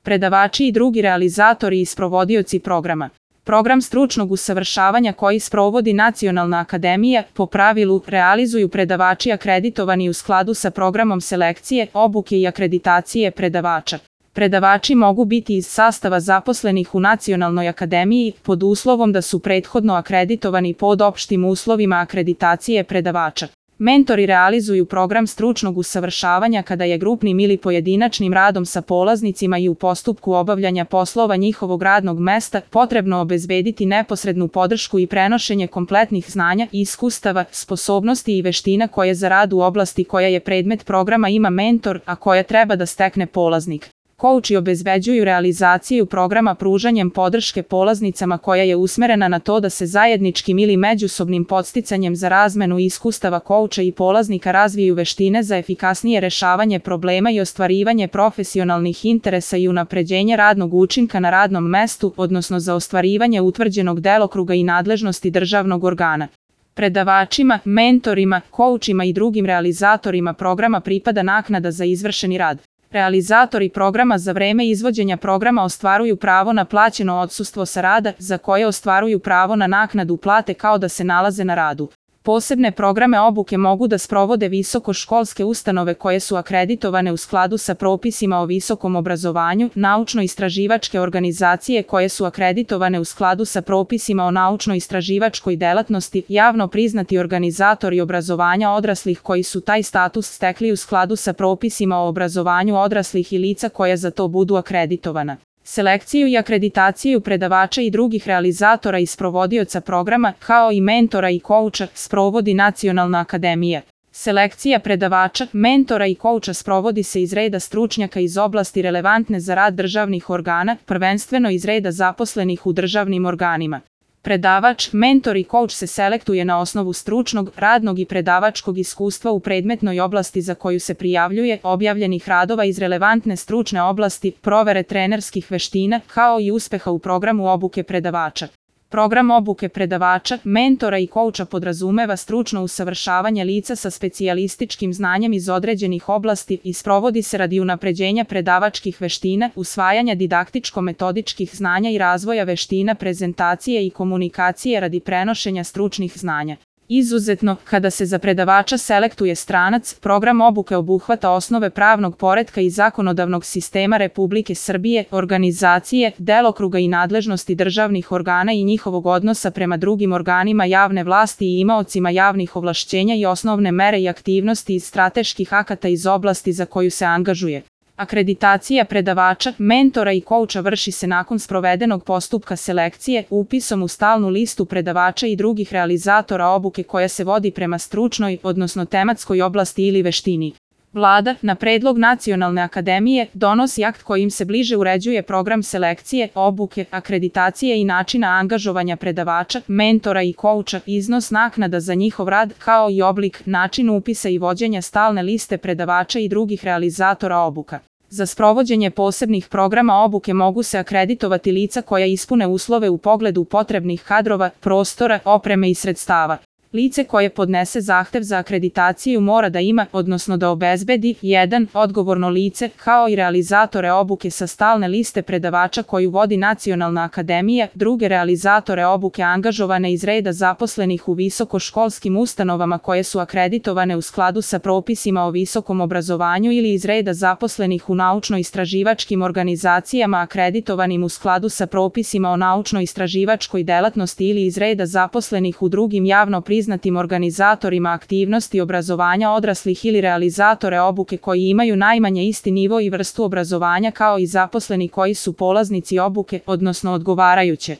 predavači i drugi realizatori i sprovodioci programa. Program stručnog usavršavanja koji sprovodi Nacionalna akademija, po pravilu, realizuju predavači akreditovani u skladu sa programom selekcije, obuke i akreditacije predavača. Predavači mogu biti iz sastava zaposlenih u Nacionalnoj akademiji, pod uslovom da su prethodno akreditovani pod opštim uslovima akreditacije predavača. Mentori realizuju program stručnog usavršavanja kada je grupnim ili pojedinačnim radom sa polaznicima i u postupku obavljanja poslova njihovog radnog mesta potrebno obezbediti neposrednu podršku i prenošenje kompletnih znanja, iskustava, sposobnosti i veština koje za rad u oblasti koja je predmet programa ima mentor, a koja treba da stekne polaznik. Kouči obezbeđuju realizaciju programa pružanjem podrške polaznicama koja je usmerena na to da se zajedničkim ili međusobnim podsticanjem za razmenu iskustava kouča i polaznika razviju veštine za efikasnije rešavanje problema i ostvarivanje profesionalnih interesa i unapređenje radnog učinka na radnom mestu, odnosno za ostvarivanje utvrđenog delokruga i nadležnosti državnog organa. Predavačima, mentorima, koučima i drugim realizatorima programa pripada naknada za izvršeni rad. Realizatori programa za vreme izvođenja programa ostvaruju pravo na plaćeno odsustvo sa rada, za koje ostvaruju pravo na naknadu plate kao da se nalaze na radu. Posebne programe obuke mogu da sprovode visokoškolske ustanove koje su akreditovane u skladu sa propisima o visokom obrazovanju, naučno-istraživačke organizacije koje su akreditovane u skladu sa propisima o naučno-istraživačkoj delatnosti, javno priznati organizatori obrazovanja odraslih koji su taj status stekli u skladu sa propisima o obrazovanju odraslih i lica koja za to budu akreditovana. Selekciju i akreditaciju predavača i drugih realizatora i sprovodioca programa, kao i mentora i kouča, sprovodi Nacionalna akademija. Selekcija predavača, mentora i kouča sprovodi se iz reda stručnjaka iz oblasti relevantne za rad državnih organa, prvenstveno iz reda zaposlenih u državnim organima. Predavač, mentor i kouč se selektuje na osnovu stručnog, radnog i predavačkog iskustva u predmetnoj oblasti za koju se prijavljuje, objavljenih radova iz relevantne stručne oblasti, provere trenerskih veština, kao i uspeha u programu obuke predavača. Program obuke predavača, mentora i kouča podrazumeva stručno usavršavanje lica sa specijalističkim znanjem iz određenih oblasti i sprovodi se radi unapređenja predavačkih veština, usvajanja didaktičko-metodičkih znanja i razvoja veština prezentacije i komunikacije radi prenošenja stručnih znanja. Izuzetno, kada se za predavača selektuje stranac, program obuke obuhvata osnove pravnog poretka i zakonodavnog sistema Republike Srbije, organizacije, delokruga i nadležnosti državnih organa i njihovog odnosa prema drugim organima javne vlasti i imaocima javnih ovlašćenja i osnovne mere i aktivnosti iz strateških akata iz oblasti za koju se angažuje. Akreditacija predavača, mentora i kouča vrši se nakon sprovedenog postupka selekcije, upisom u stalnu listu predavača i drugih realizatora obuke koja se vodi prema stručnoj, odnosno tematskoj oblasti ili veštini. Vlada, na predlog Nacionalne akademije, donosi akt kojim se bliže uređuje program selekcije, obuke, akreditacije i načina angažovanja predavača, mentora i kouča, iznos naknada za njihov rad, kao i oblik, način upisa i vođenja stalne liste predavača i drugih realizatora obuka. Za sprovođenje posebnih programa obuke mogu se akreditovati lica koja ispune uslove u pogledu potrebnih kadrova, prostora, opreme i sredstava. Lice koje podnese zahtev za akreditaciju mora da ima, odnosno da obezbedi, 1. odgovorno lice, kao i realizatore obuke sa stalne liste predavača koju vodi Nacionalna akademija, druge realizatore obuke angažovane iz reda zaposlenih u visokoškolskim ustanovama koje su akreditovane u skladu sa propisima o visokom obrazovanju ili iz reda zaposlenih u naučno-istraživačkim organizacijama akreditovanim u skladu sa propisima o naučno-istraživačkoj delatnosti ili iz reda zaposlenih u drugim javno priznatim organizatorima aktivnosti obrazovanja odraslih ili realizatore obuke koji imaju najmanje isti nivo i vrstu obrazovanja kao i zaposleni koji su polaznici obuke, odnosno odgovarajuće